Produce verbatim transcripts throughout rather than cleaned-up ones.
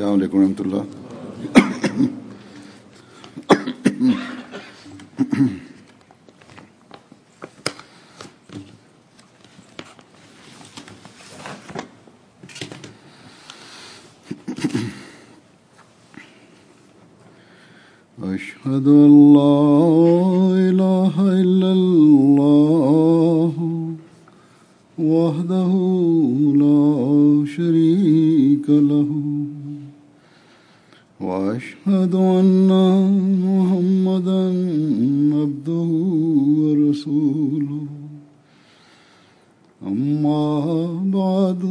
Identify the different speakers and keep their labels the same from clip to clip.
Speaker 1: السلام علیکم ورحمۃ اللہ۔ أشهد أن لا إله إلا الله وحده لا شريك له وأشهد أن محمدا عبده ورسوله أما بعد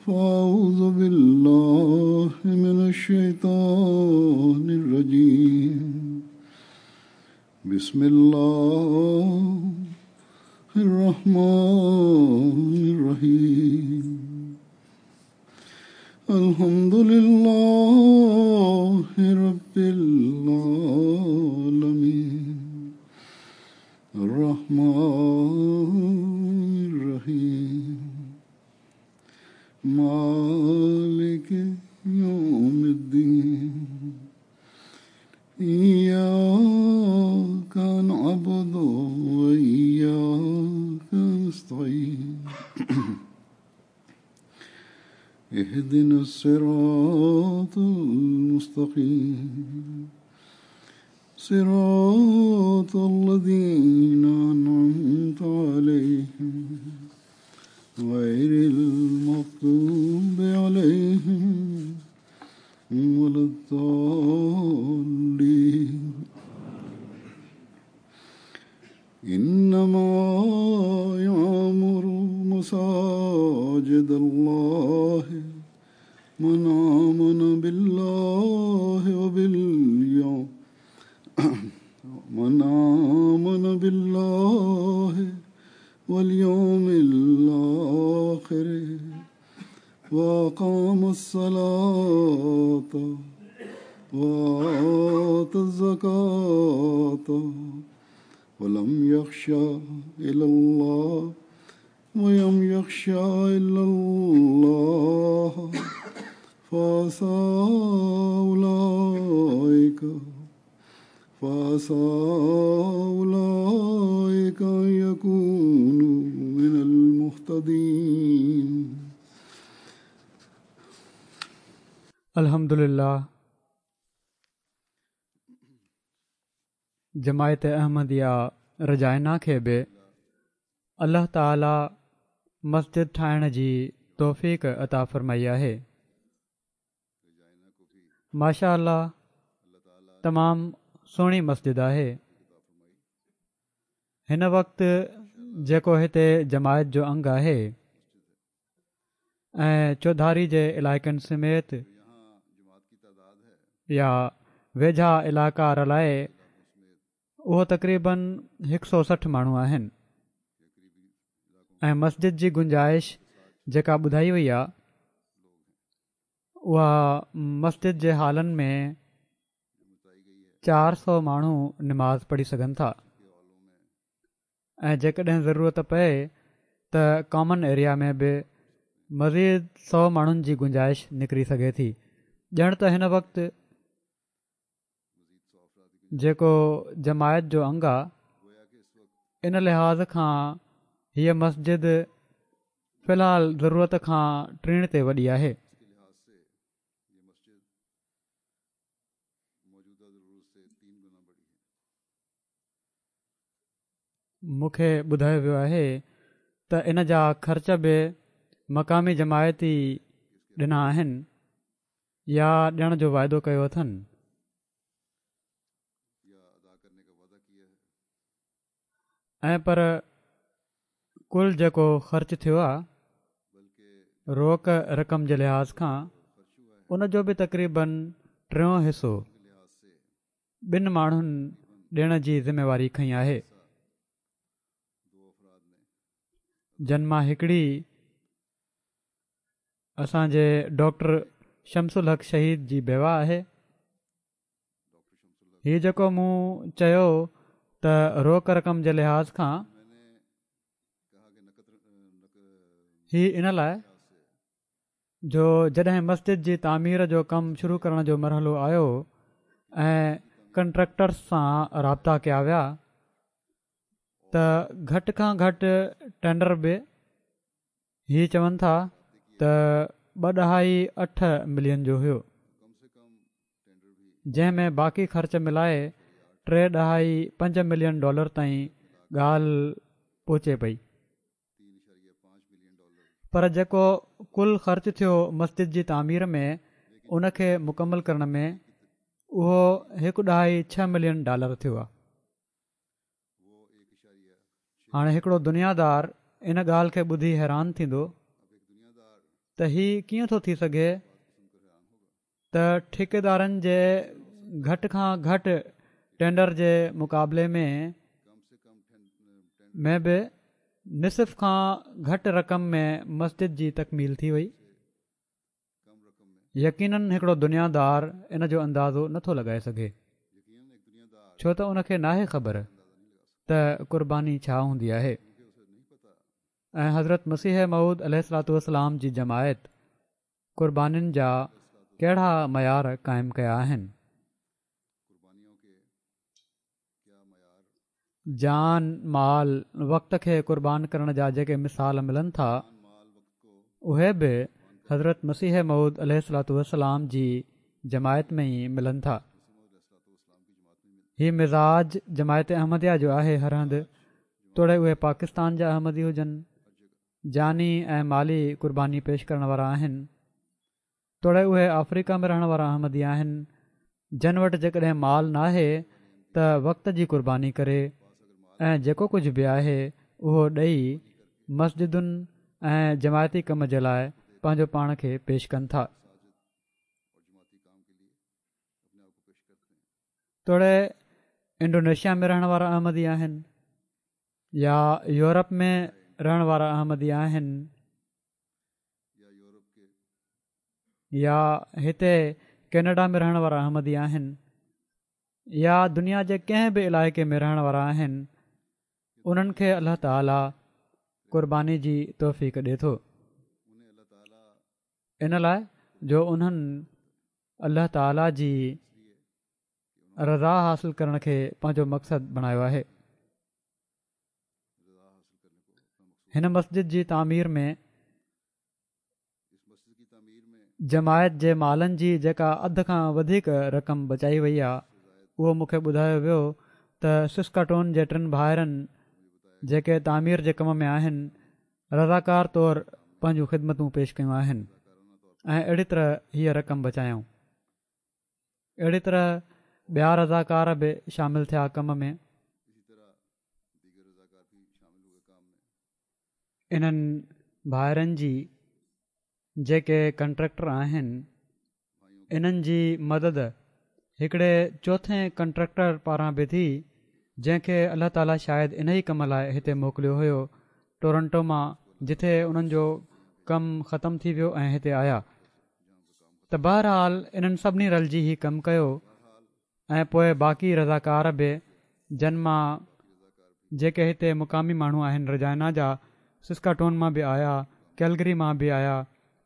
Speaker 1: فأعوذ بالله من الشيطان الرجيم بسم الله الرحمن الرحيم الحمد لله رب العالمين الرحمن الرحيم مالك يوم الدين إياك نعبد وإياك نستعين اهدنا الصراط المستقيم صراط الذين أنعمت عليهم غير المغضوب عليهم ولا الضالين إنما يعمر مساجد الله من آمن بالله وباليوم من آمن بالله واليوم الآخر وأقام الصلاة وآتى الزكاة ولم يخش إلا الله ولم يخش إلا الله فعسى أولئك فعسى أولئك أن يكونوا من المهتدين۔
Speaker 2: الحمدللہ جماعت احمديه رجائنا کي به الله تعاليٰ مسجد ٺاهڻ جي توفيق عطا فرمائي آهي۔ ماشاء الله تمام سهڻي مسجد آهي۔ هن وقت جيڪو هتي جماعت جو انگ آهي ۽ چوڌاري جي علائقن سميت يا ويجها علائقا رلائي اهو تقريبن هڪ سؤ سٺ ماڻهو آهن ۽ مسجد جي گنجائش جيڪا ٻڌائي وئي آهي اها مسجد جي هالن ۾ چار سؤ ماڻهو نماز پڙهي سگهن ٿا ۽ جيڪڏهن ضرورت پئي ته ڪامن ايريا ۾ به مزيد سؤ ماڻهن جي گنجائش نڪري سگهي ٿي۔ ڄڻ ته هن وقت جيڪو جماعت جو انگ آهي ان لحاظ کان هيءَ مسجد في الحال ضرورت کان ٽيڻ تي وڏي آهي۔ مون کي ٻڌايو ويو آهي ته ان جا خرچ به مقامي جماعت ئي ڏنا آهن يا ڏيڻ جو واعدو ڪيو اٿن۔ ۽ پر ڪل جيڪو خرچ ٿيو آهي روڪ رقم جي لحاظ کان ان جو به تقريبن ٽيون حصو ٻن ماڻهن ڏيڻ جي ذميواري کنئي آهي، جن مان هڪڙي اسان جي ڊاڪٽر شمس الحق شهيد جي بيوه آهي۔ هي جيڪو مون چيو ته روڪ رقم جي لحاظ کان هي ان لاءِ جو جڏهن مسجد جي تعمير جو ڪم شروع ڪرڻ جو مرحلو آيو ۽ ڪنٽريڪٽرز سان رابطا ڪيا ويا ته گهٽ کان گهٽ ٽينڊر به هي چون ٿا ته ٻه ڏهائي اٺ ملين جو هيو، جنهن ۾ باقي خرچ ملائي ٽي ڏهائي پنج ملين ڊالر تائين ڳالهه پهچي پئي. پر جيڪو ڪل خرچ ٿيو مسجد جي تعمير ۾ ان کي مڪمل ڪرڻ ۾ اهو هڪ ڏهائي ڇهه ملين ڊالر ٿيو آهي. هاڻي هڪڙو دنيادار ان ڳالهه کي ٻڌي حيران ٿيندو ته هي ڪيئن ٿو ٿي سگهي ته ٺيڪيدارن جي گهٽ کان گهٽ ٽينڊر جي مقابلي ۾ ۾ به نصف کان گهٽ رقم ۾ مسجد جي تڪميل ٿي وئي. يقينن هڪڙو دنيادار ان جو اندازو نٿو لڳائي سگهي، ڇو ته ان کي ناهي خبر ته قرباني ڇا هوندي آهي. ۽ حضرت مسيح موعود عليه الصلوة والسلام جي جماعت قربانين جا ڪهڙا معيار قائم ڪيا آهن. جان، مال، وقت کي قربان ڪرڻ جا جيڪي مثال ملن ٿا، اهي به حضرت مسيح موعود عليه الصلوة والسلام جي جماعت ۾ ئي ملن ٿا. هي مزاج جماعت احمديه جو آهي. هر هنڌ، توڙي اهي پاڪستان جا احمدي هجن، جاني ۽ مالي قرباني پيش ڪرڻ وارا آهن، توڙي اهي آفريڪا ۾ رهڻ وارا احمدي آهن، جن وٽ جيڪڏهن مال ناهي ته وقت جي قرباني ڪري ۽ جيڪو ڪجهه به آهي اهو ڏئي مسجدن ۽ جماعتي ڪم جي لاء پنهنجو پاڻ کي پيش ڪن ٿا. توڙي انڊونيشيا ۾ رهڻ وارا احمدي آهن يا يورپ ۾ رهڻ وارا احمدي آهن يا هتي ڪينيڊا ۾ رهڻ وارا احمدي آهن يا دنيا جي ڪنهن به علائقي ۾ رهڻ وارا آهن، انهن کي الله تعالي قرباني جي توفيق ڏي ٿو، ان لاء جو انهن الله تعالي جي رضا حاصل ڪرڻ کي پنهنجو مقصد بڻايو آهي. هن مسجد جي تعمير ۾ جماعت جي مالن جي جيڪا اڌ کان وڌيڪ رقم بچائي وئي آهي، اهو مون کي ٻڌايو ويو ته سسڪاٽون جي ٽن ڀائرن جيڪي تعمير جي ڪم ۾ آهن، رضاڪار طور پنهنجون خدمتون پيش ڪيون آهن ۽ اهڙي طرح هيء رقم بچايائون. اهڙي طرح ٻيا رضاڪار به شامل ٿيا ڪم ۾. انهن ڀائرن جي جيڪي ڪنٽريڪٽر آهن، انهن جي مدد هڪڙي چوٿين ڪنٽريڪٽر پاران به ٿي، جنهن کي الله تعالي شايد انهي ڪم لاء هتي موڪليو هيو ٽورنٽو مان، جتي انهن جو ڪم ختم ٿي ويو ۽ هتي آيا. ته بهرحال انهن سڀني رلجي هي ڪم ڪيو ۽ پوء باقي رضاڪار به، جن مان جيڪي هتي مقامي ماڻهو آهن رجائنا جا، سسڪاٽون مان به آيا، ڪيلگري مان به آيا،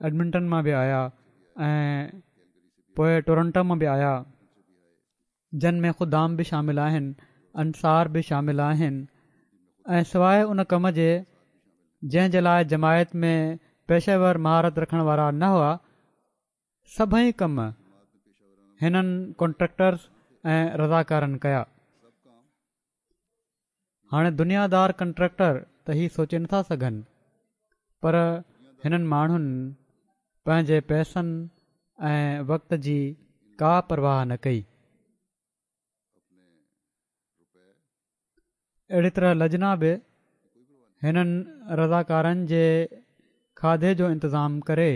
Speaker 2: ايڊمنٽن مان به آيا ۽ پوء ٽورنٽو مان به آيا، جن ۾ خدام به شامل آهن، انصار به شامل آهن ۽ سواء ان ڪم جي جنهن جي لاء جماعت ۾ پيشه ور مهارت رکڻ وارا نه هئا، سڀئي ڪم هنن ڪنٽريڪٽرز ۽ رضاڪارن ڪيا. هاڻي دنيا دار ڪنٽريڪٽر ته هي سوچي نٿا سگهن، پر هنن ماڻهن پنهنجي پئسن ۽ وقت جي ڪا پرواهه نه ڪئي. اهڙي طرح لجنا به هنن رضاڪارن جي کاڌي جو انتظام ڪري،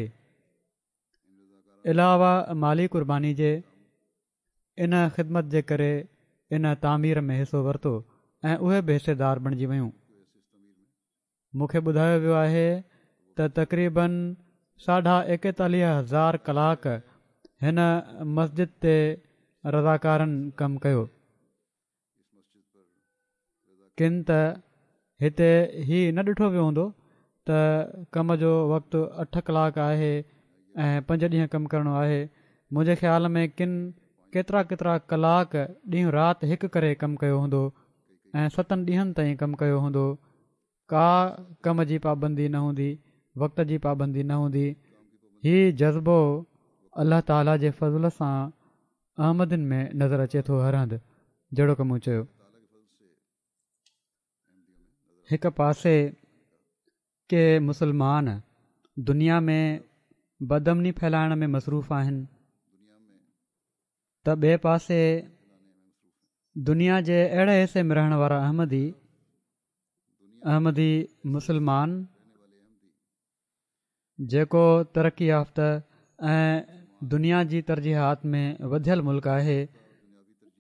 Speaker 2: علاوه مالي قرباني جي، ان خدمت جي ڪري ان تعمير ۾ حصو ورتو ۽ اهي به حصيدار بڻجي ويون. مون کي ٻڌايو ويو آهي ته تقريباً ساڍا ايڪيتاليهه هزار ڪلاڪ هن مسجد تي رضاڪارن ڪم ڪيو. ڪن ته هتي هي نه ڏٺو ويو هوندو ته ڪم جو وقت اٺ ڪلاڪ آهي ۽ پنج ڏينهن ڪم ڪرڻو آهي. منهنجي خيال ۾ ڪن ڪيترا ڪيترا ڪلاڪ ڏينهن رات هڪ ڪري ڪم ڪيو هوندو ۽ ستن ڏينهن تائين ڪم ڪيو هوندو. ڪا ڪم جي پابندي نه هوندي، وقت جي پابندي نه هوندي. هي جذبو الله تعاليٰ جي فضل سان احمدين ۾ نظر اچي ٿو هر هنڌ، جهڙوڪ مون چيو. هڪ پاسي ڪي مسلمان دنيا ۾ بدامني ڦهلائڻ ۾ مصروف آهن ته ٻئي پاسي دنيا جي اهڙي حصي ۾ رهڻ وارا احمدي احمدي مسلمان جيڪو ترقي يافته ۽ دنيا جي ترجيحات ۾ وڌيل ملڪ آهي،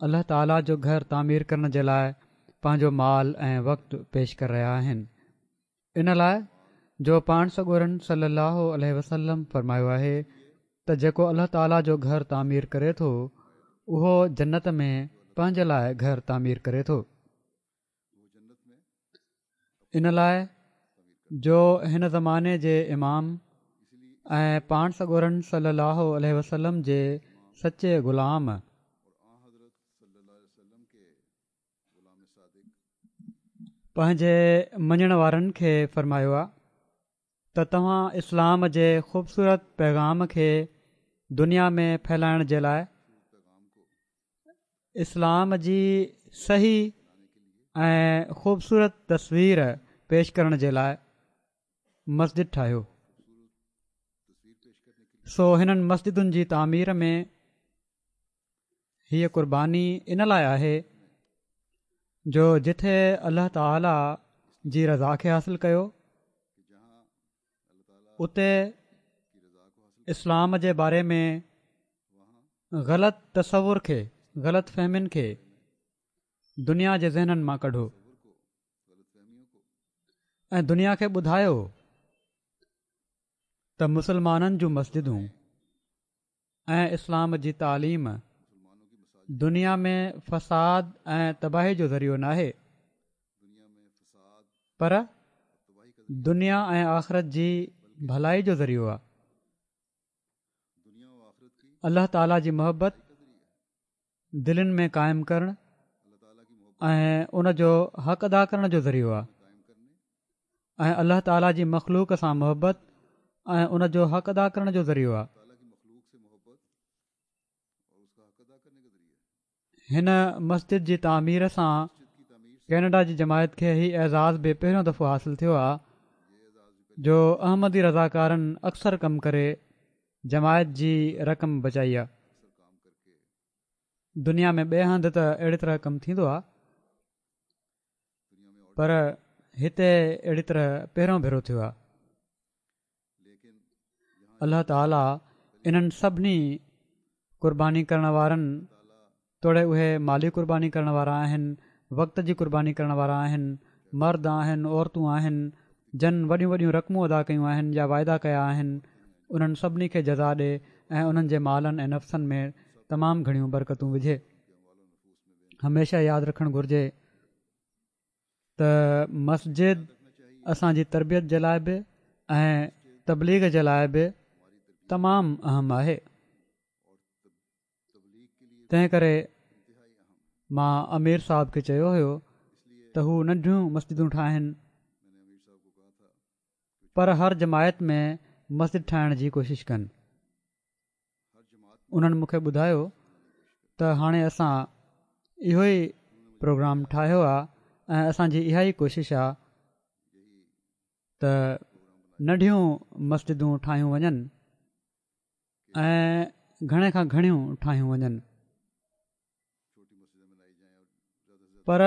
Speaker 2: الله تعاليٰ جو گهر تعمير ڪرڻ جي لاء پنهنجو مال ۽ وقت پيش ڪري رهيا آهن. ان لاء جو پاڻ سڳورن صلي الله عليه وسلم فرمايو آهي ته جيڪو الله تعاليٰ جو گهر تعمير ڪري ٿو اهو جنت ۾ پنهنجي لاء گهر تعمير ڪري ٿو. ان لاء جو هن زماني جي امام ۽ پاڻ سڳورن صلي الله عليه وسلم جي سچي غلام پنهنجي مڃڻ وارن کي فرمايو آ ته توهان اسلام جي خوبصورت پيغام کي دنيا ۾ ڦهلائڻ جي لاء اسلام جي صحيح ۽ خوبصورت تصوير پيش ڪرڻ جي لاء مسجد ٺاهيو. سو هنن مسجدن جي تعمير ۾ هيء قرباني ان لاء آهي جو جٿي الله تعاليٰ جي رضا کي حاصل ڪيو اتي اسلام جي باري ۾ غلط تصور کي، غلط فهمين کي دنيا جي ذهنن مان ڪڍو ۽ دنيا کي ٻڌايو ته مسلمانن جون مسجدون ۽ اسلام جي تعليم دنيا ۾ فساد ۽ تباهي جو ذريعو ناهي پر دنيا ۽ آخرت جي ڀلائي جو ذريعو آهي. الله تعاليٰ جي محبت دلين ۾ قائم ڪرڻ ۽ ان جو حق ادا ڪرڻ جو ذريعو آهي ۽ الله تعاليٰ جي مخلوق سان محبت ۽ ان جو حق ادا ڪرڻ جو ذريعو آهي. هن مسجد جي تعمير سان ڪينيڊا جي جماعت کي هي اعزاز به پهريون دفعو حاصل ٿيو آهي جو احمدي رضاڪارن اڪثر ڪم ڪري جماعت جي رقم بچائي آهي. دنيا ۾ ٻئي هنڌ ته اهڙي طرح ڪم ٿيندو آهي پر هتي اهڙي طرح پهريون ڀيرو ٿيو آهي. الله تعاليٰ انهن سڀني قرباني ڪرڻ وارن توڙي اهي مالي قرباني ڪرڻ وارا آهن، وقت جي قرباني ڪرڻ وارا آهن، مرد آهن، عورتون آهن، جن وڏيون وڏيون رقمون ادا ڪيون آهن يا واعدا ڪيا آهن، انهن سڀني کي جزا ڏي ۽ انهن جي مالن ۽ نفسن ۾ تمام گهڻيون برڪتون وجهي. هميشه ياد رکڻ گهرجي ته مسجد اسان جي تربيت جي لاء به ۽ تبليغ جي لاء به تمام اهم آهي. تنهن ڪري مان امير صاحب کي چيو هيو ته هو ننڍيون مسجدون ٺاهن پر هر جماعت ۾ مسجد ٺاهڻ جي ڪوشش ڪن. انهن مون کي ٻڌايو ته هاڻي اسان اهو ئي پروگرام ٺاهيو آهي ۽ اسان جي اها ئي ڪوشش آهي ته ننڍيون مسجدون ٺاهيون وڃن ۽ گهڻي کان گهڻيون ٺاهيون وڃن. پر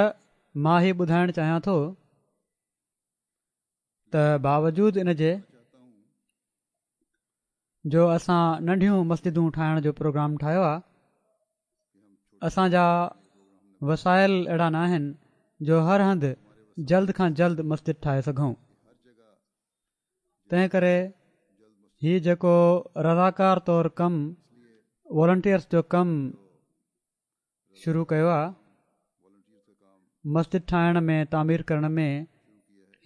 Speaker 2: مان هي ٻڌائڻ چاهيان ٿو ته باوجود ان جي جو اسان ننڍيون مسجدون ٺاهڻ جو پروگرام ٺاهيو آهي، اسان جا وسائل اهڙا ناهن جو هر هنڌ جلد کان جلد مسجد ٺاهي سگهون. تنهن ڪري هي جيڪو رضاڪار طور ڪم، والنٽيئرس جو ڪم شروع ڪيو آهي مسجد ٺاهڻ ۾ تعمير ڪرڻ ۾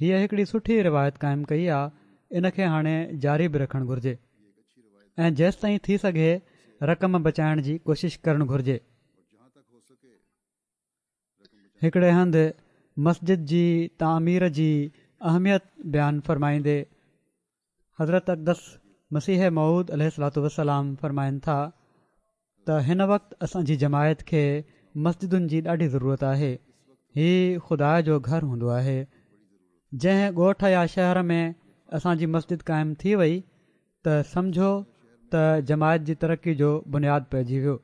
Speaker 2: هيء هڪڙي سٺي روايت قائم ڪئي آهي، ان کي هاڻي جاري به رکڻ گهرجي. ۽ جيستائين ٿي سگهي رقم بچائڻ جي ڪوشش ڪرڻ گهرجي. هڪڙي هنڌ مسجد جي تعمير جي اهميت بيان فرمائيندي حضرت اقدس مسيح موعود عليه الصلوة والسلام فرمائن ٿا ته هن وقت اسان جي جماعت کي مسجدن جي ڏاڍي ضرورت آهي. هي خدا جو گهر هوندو آهي. جنهن ڳوٺ يا شهر ۾ اسان جي مسجد قائم ٿي وئي ته سمجهو ته جماعت جي ترقي جو بنياد پئجي ويو.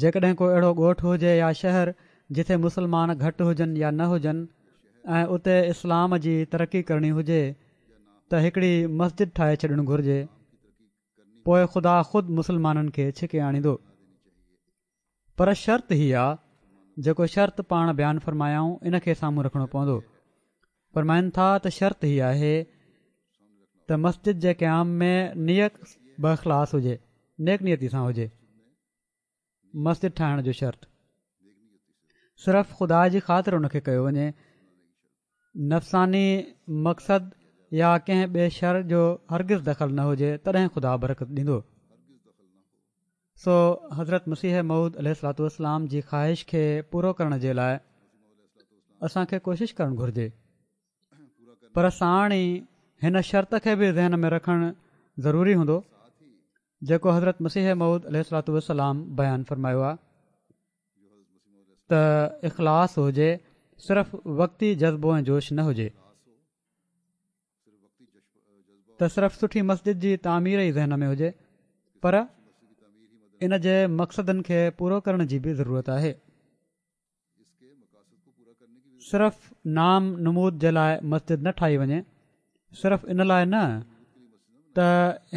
Speaker 2: جيڪڏهن ڪو اهڙو ڳوٺ هجي يا شهر جٿي مسلمان گهٽ هجن يا نه هجن ۽ اتي اسلام جي ترقي ڪرڻي هجي ته هڪڙي مسجد ٺاهي ڇڏڻ گهرجي، پوء خدا خود مسلمانن کي ڇڪي آڻيندو. پر شرط هي آ، جيڪو شرط پاڻ بيان فرمايائون ان کي سامهون رکڻو پوندو. فرمائن ٿا ته شرط هي آهي ته مسجد جي قيام ۾ نيت باخلاص هجي، نيڪ نيتي سان هجي. مسجد ٺاهڻ جو شرط صرف خدا جي خاطر ان کي ڪيو وڃي، نفساني مقصد يا ڪنهن ٻئي شر جو هرگز دخل نه هجي، تڏهن خدا برڪت ڏيندو. سو حضرت مسيح موعود عليه الصلوة والسلام جي خواهش کي پورو ڪرڻ جي لاء اسان کي ڪوشش ڪرڻ گهرجي، پر ساڻ ئي هن شرط کي به ذهن ۾ رکڻ ضروري هوندو جيڪو حضرت مسيح موعود عليه الصلوة والسلام بيان فرمايو آهي ته اخلاص هجي، صرف وقتي جذبو ۽ جوش نه هجي ته صرف سٺي مسجد جي تعمير ئي ذهن ۾ هجي، پر ان جي مقصدن کي پورو ڪرڻ جي به ضرورت آهي. صرف نام نمود جي لاء مسجد نه ٺاهي وڃي، صرف ان لاء نه ته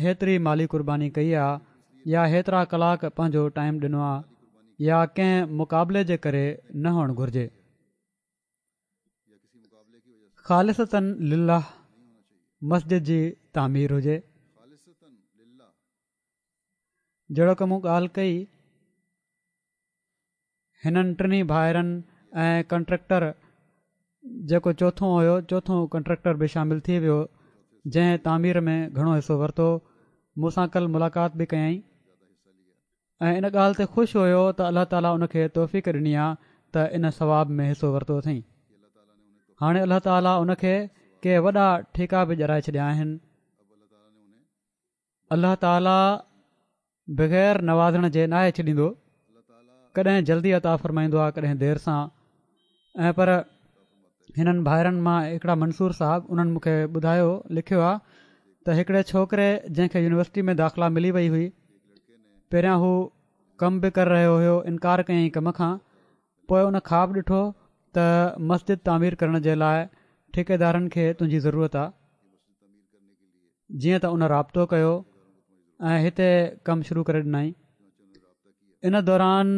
Speaker 2: هيتري مالي قرباني ڪئي آ يا هيترا ڪلاڪ پنهنجو ٽائيم ڏنو آ يا ڪنهن مقابلي جي ڪري نه هئڻ گهرجي. خالصتاً لله مسجد جي تعمير هجي. جهڙوڪ مون ڳالهه ڪئي، هنن ٽنهي ڀائرن ۽ ڪنٽريڪٽر جيڪو چوٿون هيو، چوٿون ڪنٽريڪٽر به شامل ٿي ويو، جنهن تعمير ۾ گهڻو حصو ورتو. مون سان ڪل ملاقات به ڪيائين ۽ ان ڳالهه تي خوش هيو ته الله تعاليٰ ان کي توفيق ڏني آ ته ان ثواب ۾ حصو ورتو اٿئين. هاڻي الله تعاليٰ ان کي ڪي وڏا ٺيڪا به ڏيارائي ڇڏيا آهن. الله تعاليٰ بغير نوازڻ جي ناهي ڇڏيندو، ڪڏهن جلدي عطا فرمائيندو آهي ڪڏهن دير سان. ۽ پر هنن ڀائرن مان هڪڙا منصور صاحب انهن مون کي ٻڌايو، لکيو آهي ته هڪڙي ڇوڪري جنهن کي يونيورسٽي ۾ داخلا ملي وئي هئي، پهريان هو ڪم به ڪري رهيو هيو، انڪار ڪيائين ڪم کان، پوء ان خواب ڏٺو ته مسجد تعمير ڪرڻ جي لاء ٺيڪيدارن کي تنهنجي ضرورت آهي. جيئن ته ان رابطو ڪيو ۽ هتي ڪم شروع ڪري ڏنائين. ان دوران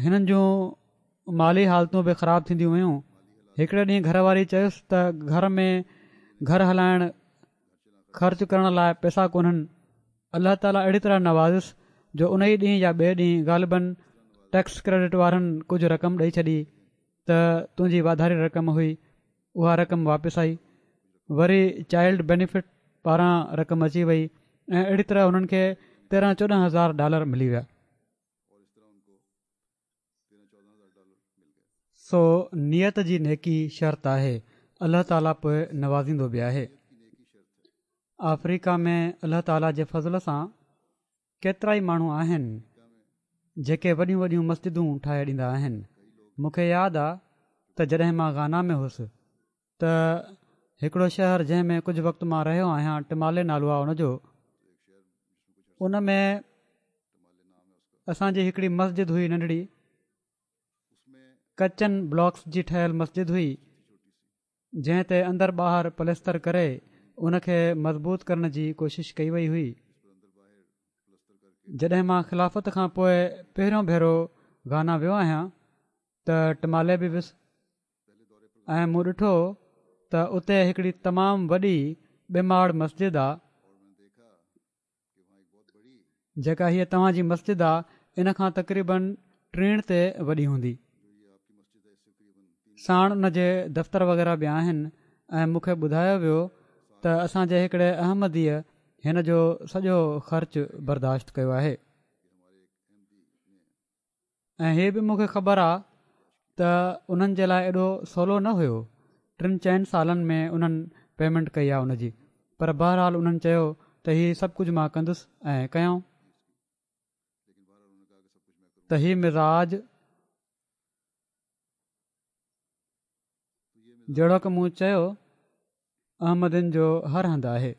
Speaker 2: هنن جون مالي حالتون به خراب ٿينديون ويون. هڪڙي ڏينهن گهر واري چيس ته گهر ۾ گهر هلائڻ خرچ ڪرڻ لاء پئسا ڪونهن. الله تعاليٰ اهڙي طرح نوازيس جو ان ئي ڏينهن يا ٻئي ڏينهن غالباً ٽيڪس ڪريڊٽ وارن ڪجهه رقم ڏئي ڇڏي ته تنهنجي واڌاري رقم هئي، اها رقم واپس آئي. وري چائلڊ بينيفٽ پاران رقم اچي وئي ۽ اهڙي طرح هنن کي تيرهن چوڏهن هزار ڊالر ملي ويا. سو نيت جي نيڪي شرط آهي، الله تعاليٰ پوء نوازيندو به آهي. آفريڪا ۾ الله تعاليٰ جي فضل سان ڪيترائي ماڻهو آهن جيڪي وڏيون وڏيون مسجدون ٺاهي ڏيندا آهن. مون کي ياد آ ته جڏهن مان گانا ۾ هوس ته هڪڙو شهر جنهن ۾ ڪجهه وقت مان رهيو آهيان، ٽمالي نالو آ ان جو، ان ۾ اسان جي هڪڙي مسجد هئي ننڍڙي، ڪچن بلاڪس جي ٺهيل مسجد هئي، جنهن تي اندر ٻاهر پلستر ڪري ان کي مضبوط ڪرڻ جي ڪوشش ڪئي وئي هئي. جڏهن مان خلافت کان پوء پهريون ڀيرو گانا ويو آهيان ته ٽمالي به ويس ۽ مون ڏٺو ته اتي هڪڙي تمام وڏي ٻه ماڙ مسجد آ، جيڪا هيء توهان جي مسجد آ ان کان تقريبن ٽيڻ تي وڏي هوندي. ساڻ ان جي دفتر وغيره به آهن ۽ مون کي ٻڌايو ويو ته اسان جي هڪڙي احمديء هن جو سڄو خرچ برداشت ڪيو آهي. ۽ هي به مون کي خبر آ ته انهن جي لاءِ ايڏو سولو نه هيو. ٽن چئن سالن ۾ انهن پيمينٽ ڪئي آ ان جي، پر بهرحال انهن چيو ته هي سڀ ڪجهه مان ڪندس ۽ ڪيائون. ته هي مزاج جهڙوڪ مون چيو احمدين جو هر هنڌ آهي.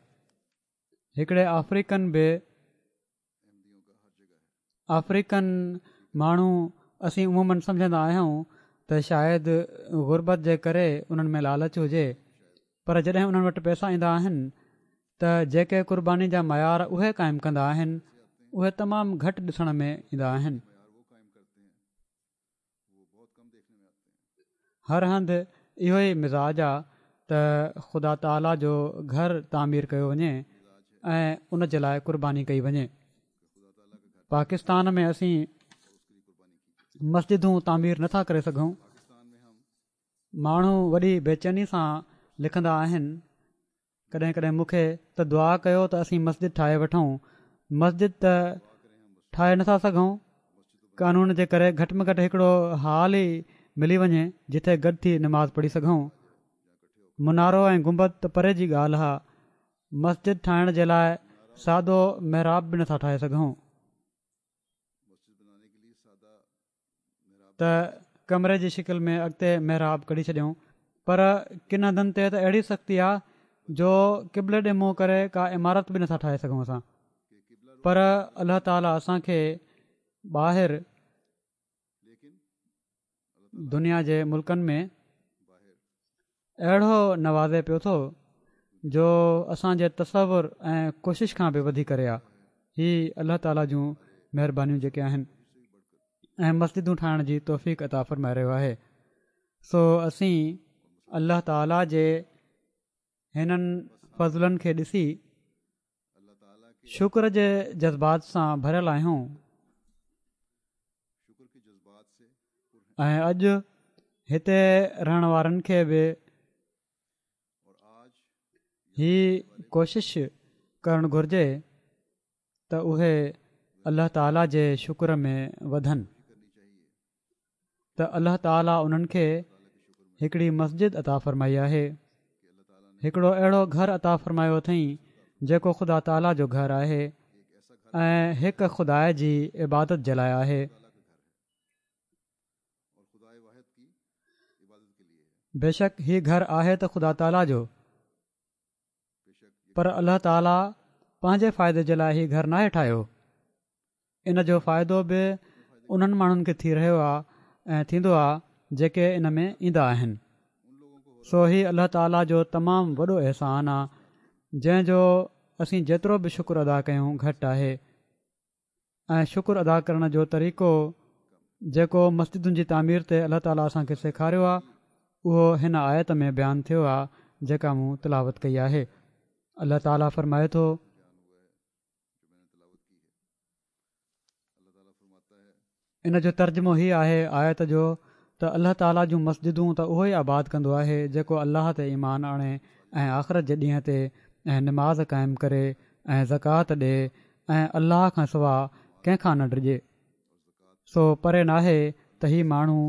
Speaker 2: هڪڙي آفريڪن به آفريڪن ماڻهو اسين عموماً سمجهندا آهيون ته شايد غربت جي ڪري انهن ۾ لالچ هجي، پر جڏهن انهن وٽ پئسا ايندا آهن ته جيڪي قرباني جا معيار اهي قائم ڪندا آهن اهي تمام گهٽ ڏسڻ ۾ ايندا آهن. هر هنڌ اهو ئي مزاج آ ته خدا تعاليٰ جو گهر تعمير ڪيو وڃي ۽ ان جي لاءِ قرباني ڪئي وڃي. پاڪستان ۾ اسين مسجدون تعمير نٿا ڪري سگهون. ماڻهو وڏي بيچيني سان لکندا آهن ڪڏهن ڪڏهن مون کي ته دعا ڪيو ته اسين مسجد ٺاهي وٺون. مسجد ته ٺاهي نٿا سگهون قانون جي ڪري، گهٽ ۾ گهٽ هڪڙو هال ئي ملي وڃي جتي گڏ ٿي نماز پڙهي سگهون. منارو ۽ گنبد ته پري جي ڳالهه آ، مسجد ٺاهڻ جي لاءِ سادو محراب به نٿا ٺاهي سگهون. ته ڪمري جي شڪل ۾ اڳتي محراب ڪڍي ڇڏيون، پر ڪن هنڌن تي ته اهڙي سختي آ جو قبلي ڏي منهن ڪري ڪا عمارت به نٿا ٺاهي سگهون اسان. پر الله تعاليٰ اسان کي ٻاهر دنيا جي ملڪن ۾ اهڙو نوازي پيو ٿو جو اسان جي تصور ۽ ڪوشش کان به وڌي ڪري آ. هي الله تعاليٰ جون مهربانيون جيڪي آهن ۽ مسجدون ٺاهڻ جي توفيق عطا فرمائي رهيو آهي. سو اسين الله تعاليٰ جي هنن فضلن کي ڏسي شڪر جي جذبات سان ڀريل آهيون ۽ اڄ هتي رهڻ وارن کي به هي ڪوشش ڪرڻ گهرجي ته اهي الله تعاليٰ جي شڪر ۾ وڌن ته الله تعاليٰ انهن کي هڪڙي مسجد عطا فرمائي آهي، هڪڙو اهڙو گهر عطا فرمايو اٿئين جيڪو خدا تعاليٰ جو گهر آهي ۽ هڪ خدا جي عبادت جي لاءِ آهي. بيشڪ هي گهر آهي ته خدا تعاليٰ جو، پر الله تعاليٰ پنهنجي فائدي جي لاءِ هي گهر ناهي ٺاهيو. ان جو فائدو به انهن ماڻهن کي ٿي رهيو آهي ۽ ٿيندو آهي جيڪي ان ۾ ايندا آهن. سو هي الله تعاليٰ جو تمام وڏو احسان آهي جنهن جو اسين جيترو به شڪر ادا ڪيون گهٽ آهي. ۽ شڪر ادا ڪرڻ جو طريقو جيڪو مسجدن جي تعمير تي الله تعاليٰ اسان کي سيکاريو آهي اهو هن آيت ۾ بيان ٿيو آهي جيڪا مون تلاوت ڪئي آهي. الله تعاليٰ فرمائي ٿو ان جو ترجمو هي آهي آيت جو ته الله تعاليٰ جون مسجدون ته اهو ئي آباد ڪندو آهي جيڪو الله تي ايمان آڻي ۽ آخرت جي ڏينهن تي ۽ نماز قائم ڪري ۽ زڪوات ڏي ۽ الله کان سوا ڪنهن کان نه ڊڄي. سو پري ناهي ته هي ماڻهو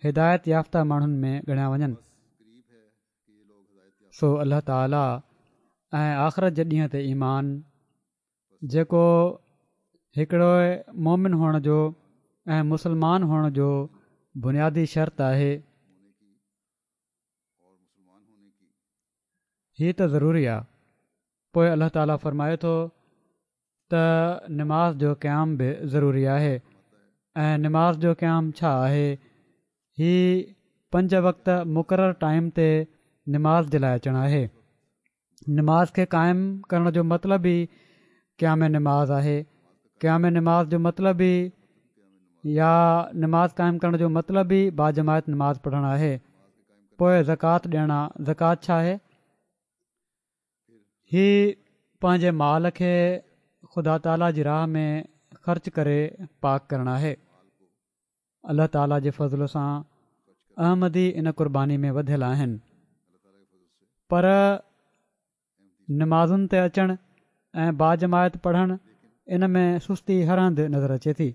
Speaker 2: هدايت يافته ماڻهن ۾ ڳڻيا وڃن. سو الله تعاليٰ ۽ آخرت جي ڏينهن تي ايمان جيڪو هڪڙو مومن هئڻ جو ۽ مسلمان هئڻ جو بنيادي شرط آهي، هي ته ضروري آهي. پوءِ الله تعاليٰ فرمائي ٿو ته نماز جو قيام به ضروري آهي. ۽ نماز جو قيام ڇا آهي؟ هي پنج وقت مقرر ٽائيم تي نماز جي لاءِ اچڻ آهي. نماز کي قائم ڪرڻ جو مطلب ئي قيام نماز آهي. قيام نماز جو مطلب ئي يا نماز قائم ڪرڻ جو مطلب ئي باجماعت نماز پڙهڻ آهي. پوءِ زڪوات ڏيڻ آ. زڪوات ڇا آهي؟ هي پنهنجي مال کي خدا تعاليٰ جي راهه ۾ خرچ ڪري پاڪ ڪرڻ آهي. الله تعاليٰ جي فضل سان احمدي ان قرباني ۾ وڌيل آهن، پر نمازن تي اچڻ ۽ باجماعت پڙهڻ ان ۾ سستي هر هنڌ نظر اچي ٿي،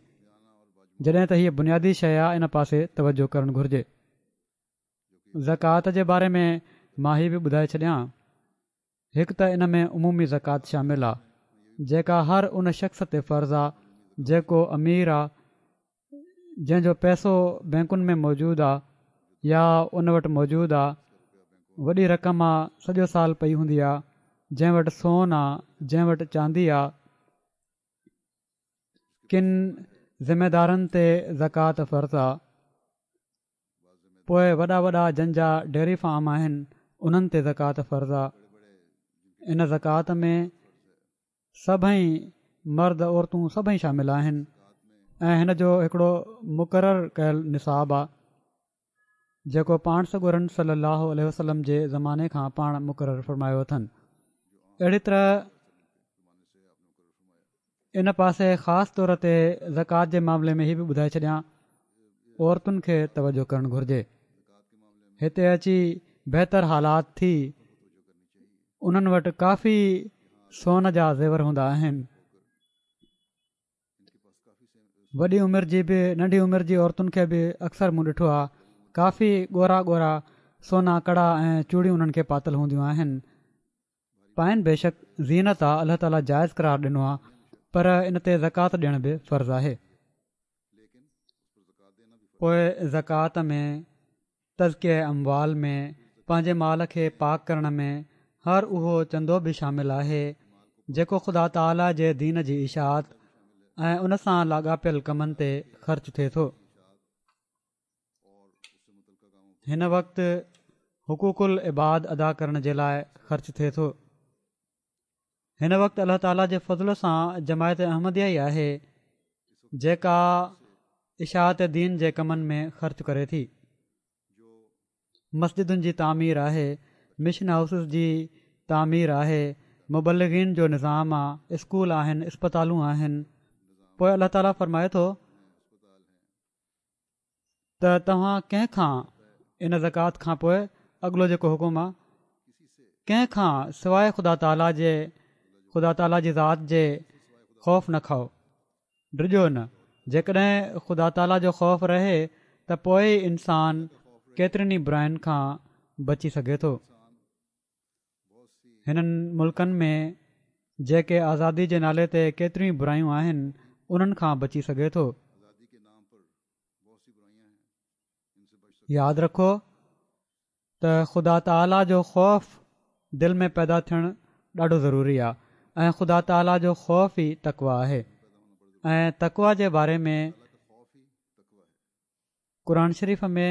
Speaker 2: جڏهن ته هيء بنيادي شيء آهي، ان پاسي توجه ڪرڻ گهرجي. زڪوات جي باري ۾ مان هي به ٻڌائي ڇڏيان، هڪ ته ان ۾ عمومي زڪوات شامل آ، جيڪا هر ان شخص تي فرض آ جيڪو امير آ، جنهن جو پئسو بئنڪن ۾ موجود آ يا ان وٽ موجود آ، وڏي رقم آ، سڄو سال پئي هوندي آ، جنهن وٽ سون آ، جنهن وٽ چاندي آ. ڪن ذميدارن تي زڪوات فرض آ. پوء وڏا وڏا جن جا ڊيري فارم آهن انهن تي زڪوات فرض آ. ان زڪوات ۾ سڀئي مرد عورتون سڀئي شامل آهن ۽ هن جو هڪڙو مقرر ڪيل نصاب آ جيڪو پاڻ سڳورن صلي الله عليه وسلم جي زماني کان پاڻ مقرر فرمايو اٿن. اهڙي طرح ان پاسي خاص طور تي زڪوات جي معاملي ۾ هي به ٻڌائي ڇڏيان، عورتن کي توجه ڪرڻ گهرجي. هتي اچي بهتر حالات ٿي انهن وٽ ڪافي سون جا زيور هوندا آهن. وڏي عمر جي به ننڍي عمر جي عورتن کي به اڪثر مون ڏٺو آهي ڪافي ڳورا ڳورا سونا ڪڙا ۽ چوڙيون انهن کي پاتل هونديون آهن. پائن بيشڪ زينت آ، الله تعاليٰ جائز قرار ڏنو آ، پر ان تي زڪوات ڏيڻ به فرض آهي. پوء زڪوات ۾ تزڪيه اموال ۾ پنهنجي مال کي پاڪ ڪرڻ ۾ هر اهو چندو به شامل آهي جيڪو خدا تعاليٰ جي دين جي اشاعت ۽ ان سان لاڳاپيل ڪمن تي خرچ ٿئي ٿو. هن وقت حقوق العباد ادا ڪرڻ جي لاء خرچ ٿئي ٿو. هن وقت الله تعاليٰ جي فضل سان جماعت احمديه ئي آهي جيڪا اشاعت دين جي ڪمن ۾ خرچ ڪري ٿي. مسجدن جي تعمير آهي، مشن هائوسز جي تعمير آهي، مبلغين جو نظام آ، اسڪول آهن، اسپتالون آهن. پوء الله تعاليٰ فرمائي ٿو ته توهان ڪنهن کان ان زڪوات کان پوء اڳلو جيڪو حڪم آ ڪنهن کان سواء خدا تعاليٰ جي خدا تعاليٰ جي ذات جي خوف نه کائو، ڊڄو نه. جيڪڏهن خدا تعاليٰ جو خوف رهي ته پوء ئي انسان ڪيترين ئي براين کان بچي سگهي ٿو. هنن ملڪن ۾ جيڪي آزادي جي نالي تي ڪيتريون ئي برايون آهن انهن کان بچي سگهي ٿو. ياد رکو ته خدا تعاليٰ جو خوف دل ۾ پيدا ٿيڻ ڏاڍو ضروري آهي ۽ خدا تعاليٰ جو خوف ئي تقويٰ آهي ۽ تقويٰ جي باري ۾ قرآن شريف ۾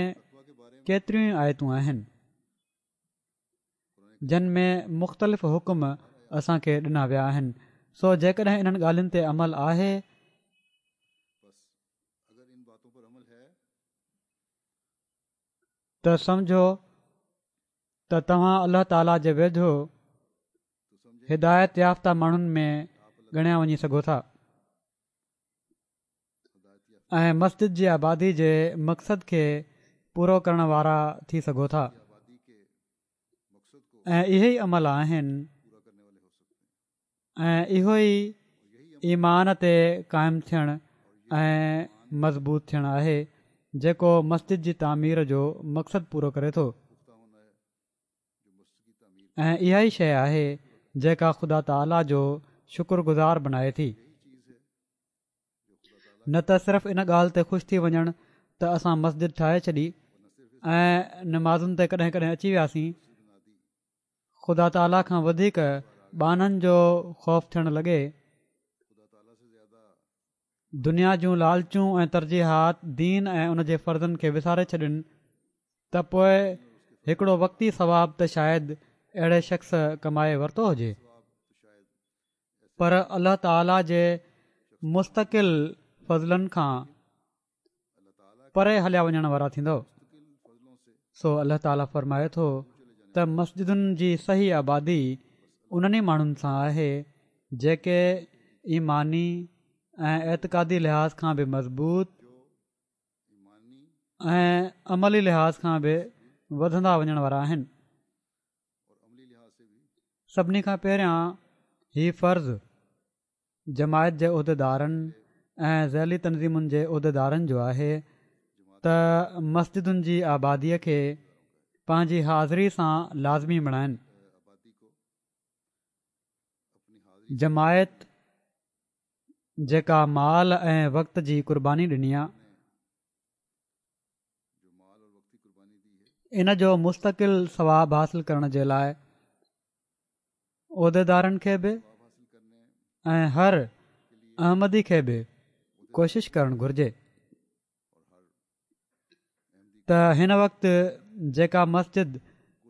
Speaker 2: ڪيتريون ئي آيتون آهن جن ۾ مختلف حڪم اسان کي ڏنا ويا آهن سو جيڪڏهن انهن ڳالهين تي عمل آهي ته سمجهو ته توهان الله تعاليٰ جي ويجهو هدايت يافته ماڻهن ۾ ڳڻيا وڃي سگهو ٿا ۽ مسجد جي آبادي جي مقصد کي پورو ڪرڻ وارا ٿي سگهو ٿا ۽ اهي ئي عمل آهن ۽ اهو ئي ايمان تي قائم ٿيڻ ۽ مضبوط ٿيڻ آهي جيڪو مسجد جي تعمير جو مقصد پورو ڪري ٿو ۽ اها ئي شيء آهي جيڪا خدا تعاليٰ جو شڪر گذار بنائي ٿي نه ته صرف ان ڳالهه تي خوش ٿي وڃڻ ته اسان مسجد ٺاهي ڇڏي ۽ نمازن تي ڪڏهن ڪڏهن اچي وياسين خدا تعاليٰ کان وڌيڪ ٻانهن جو خوف ٿيڻ لڳي. دنيا جون لالچون ۽ ترجيحات دين ۽ ان جي فرضن کي وساري ڇڏين ته پوء هڪڙو وقتي ثواب ته شايد اهڙي شخص ڪمائي ورتو هجي پر الله تعاليٰ جي مستقل فضلن کان پري هليا وڃڻ وارا ٿيندؤ. سو الله تعاليٰ فرمائي ٿو ته مسجدن جي صحيح آبادي انهن ئي ماڻهن سان آهي جيڪي ايماني ۽ اعتقادي لحاظ کان به مضبوط ۽ عملي لحاظ کان به وڌندا وڃڻ وارا آهن. سڀني کان پهريان هي فرض جماعت جي عهديدارن ۽ ذيلي تنظيمن جي عهديدارن جو آهي ته مسجدن جي آباديء کي پنهنجي حاضري سان لازمي بڻائن. جماعت جيڪا مال ۽ وقت جي قرباني ڏني آ، ان جو مستقل ثواب حاصل ڪرڻ جي لاء عهديدارن کي به ۽ هر احمدي کي به ڪوشش ڪرڻ گهرجي ته هن وقت جيڪا مسجد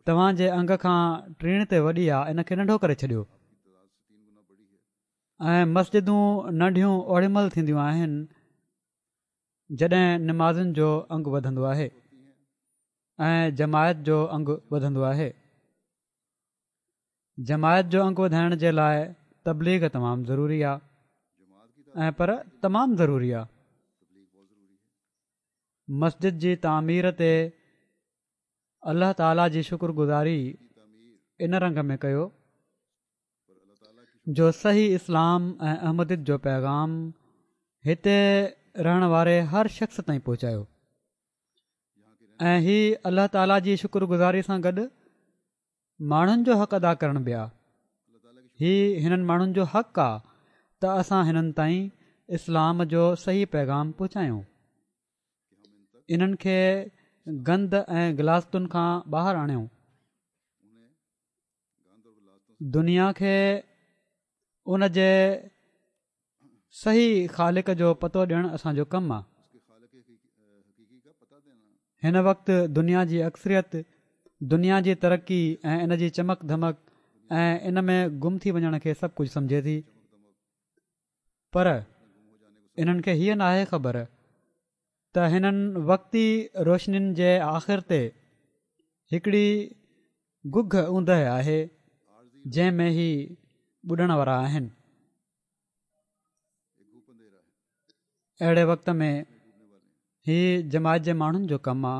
Speaker 2: توهان جي انگ کان ٽيڻ تي وڏي آ ان کي ننڍو ڪري ڇڏيو ۽ مسجدون ننڍيون اوڏي مهل ٿينديون آهن جڏهن نمازين جو انگ وڌندو آهي ۽ جماعت جو انگ وڌندو آهي. جماعت جو انگ وڌائڻ جي لاء تبليغ تمام ضروري آ ۽ پر تمام ضروري آ. مسجد جي تعمير تي الله تعاليٰ جي شڪر گذاري ان رنگ ۾ ڪيو جو صحيح اسلام ۽ احمديت جو پيغام هتي رهڻ واري هر شخص تائين پهچايو ۽ هي الله تعاليٰ جي شڪر گذاري سان گڏ ماڻهن جو حق ادا ڪرڻ به آ. هي هنن ماڻهن جو حق آ ته اسان هنن تائين اسلام جو صحيح پيغام پهچايون. انهن کي گند ۽ غلاظتن کان ٻاهر آڻيون. دنيا کي ان جي صحيح خالق جو پتو ڏيڻ اسان جو ڪم آ. هن وقت دنيا جي اڪثريت دنيا جي ترقي ۽ ان جي چمڪ ڌمڪ ۽ ان ۾ گم ٿي وڃڻ کي سڀ ڪجهه سمجهي ٿي پر انهن کي هيء ناهي خبر ته هنن وقتي روشنين جي آخر تي هڪڙي گگهه اوندهه آهي جنهن ۾ هي ٻڏڻ وارا آهن. اهڙي وقت ۾ هي جماعت جي ماڻهن جو ڪم آ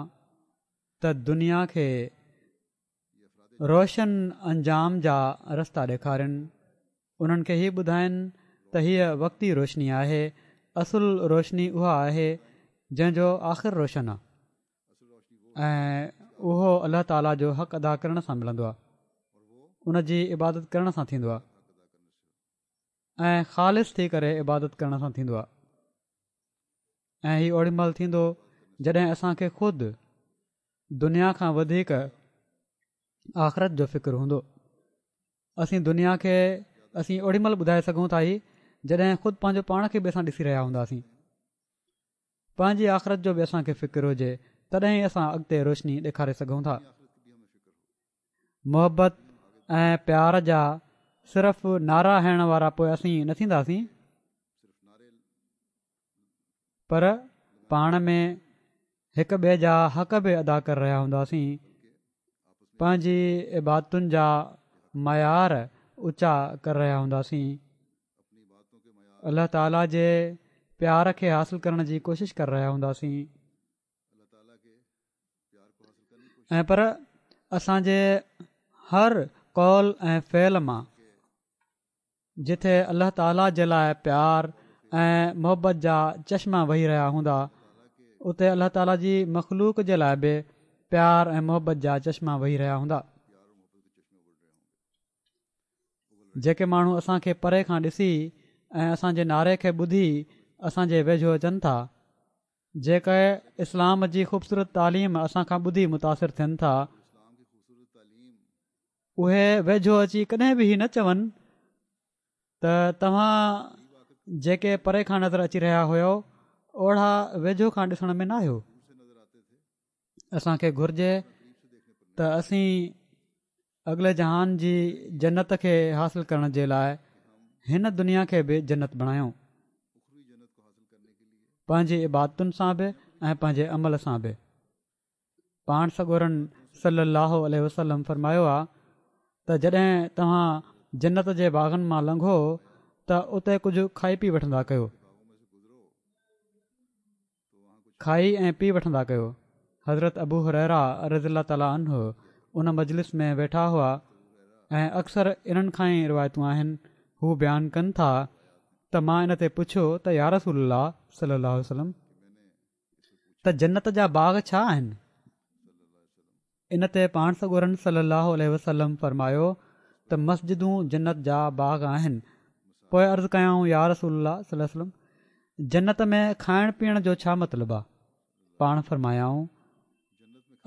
Speaker 2: ته دنيا کي روشن انجام جا رستا ڏيکارين، انهن کي هي ٻڌائين ته هيء وقتي روشني آهي، اصل روشني اها آهي جنهن جو آخر روشن آ ۽ اهو الله تعاليٰ جو حق ادا ڪرڻ سان ملندو آ، ان جي عبادت ڪرڻ سان ٿيندو آ ۽ خالص ٿي ڪري عبادت ڪرڻ سان ٿيندو آ ۽ هي اوڏي مهل ٿيندو جڏهن اسان کي خود دنيا کان وڌيڪ آخرت جو فڪر هوندو. اسين دنيا کي اسين اوڏي مهل ٻڌائي سگهون ٿا هي جڏهن خود پنهنجو پاڻ کي به اسان ڏسي رهيا هونداسين. پنهنجي آخرت جو به اسان کي فڪر هجي تڏهن ئي اسان اڳتي روشني ڏيکاري سگهون ٿا. محبت ۽ پيار جا صرف نعرا هڻڻ وارا پوء اسين نه ٿينداسين پر پاڻ ۾ هڪ ٻئي جا حق به ادا ڪري رهيا هونداسين، پنهنجي عبادتن جا معيار اوچا ڪري رهيا هونداسين، الله تعاليٰ جي پيار کي حاصل ڪرڻ جي ڪوشش ڪري رهيا هونداسين ۽ پر اسان جي هر قول ۽ فعل مان جتي الله تعاليٰ جي لاء پيار ۽ محبت جا چشما وهي رهيا هوندا اتي الله تعاليٰ جي مخلوق جي لاء به پيار ۽ محبت جا چشما وهي رهيا هوندا. جيڪي ماڻهو اسان کي پري کان ڏسي ۽ اسان جي نعري کي ٻڌي اسان جي ويجهو اچن ٿا، جيڪي اسلام جي خوبصورت تعليم اسان کان ٻڌي متاثر ٿين ٿا، اهي ويجهو اچي ڪڏهن به هي نه چون ته توهان جيڪي پري کان نظر اچي رهيا هيو اوڙا ويجهو کان ڏسڻ ۾ نه آيو. اسان کي گهرجي ته اسين اڳلي جهان جي جنت کي حاصل ڪرڻ جي لاء هن دنيا کي به جنت بڻايون پنهنجي عبادتن سان به ۽ پنهنجي عمل سان به. پاڻ سڳورن صلي الله عليه وسلم فرمايو آ ته جڏهن توهان جنت جي باغن مان لنگهو ته اتي ڪجهه کائي پي وٺندا ڪيو کائي ۽ پي وٺندا ڪيو حضرت ابو هريره رضي الله تعالٰي عنه ان مجلس ۾ ويٺا هئا ۽ اڪثر انهن کان ئي روايتون آهن. هو بيان ڪن ٿا ته مان ان تي پڇيو ته يا رسول الله صلي الله عليه وسلم ته جنت جا باغ ڇا آهن؟ ان تي پاڻ سڳورن صلي الله عليه وسلم فرمايو ته مسجدون جنت جا باغ آهن. پوءِ عرض ڪيائون يا رسول الله صلي الله عليه وسلم جنت ۾ کائڻ پيئڻ جو ڇا مطلب آهي؟ پاڻ فرمايائون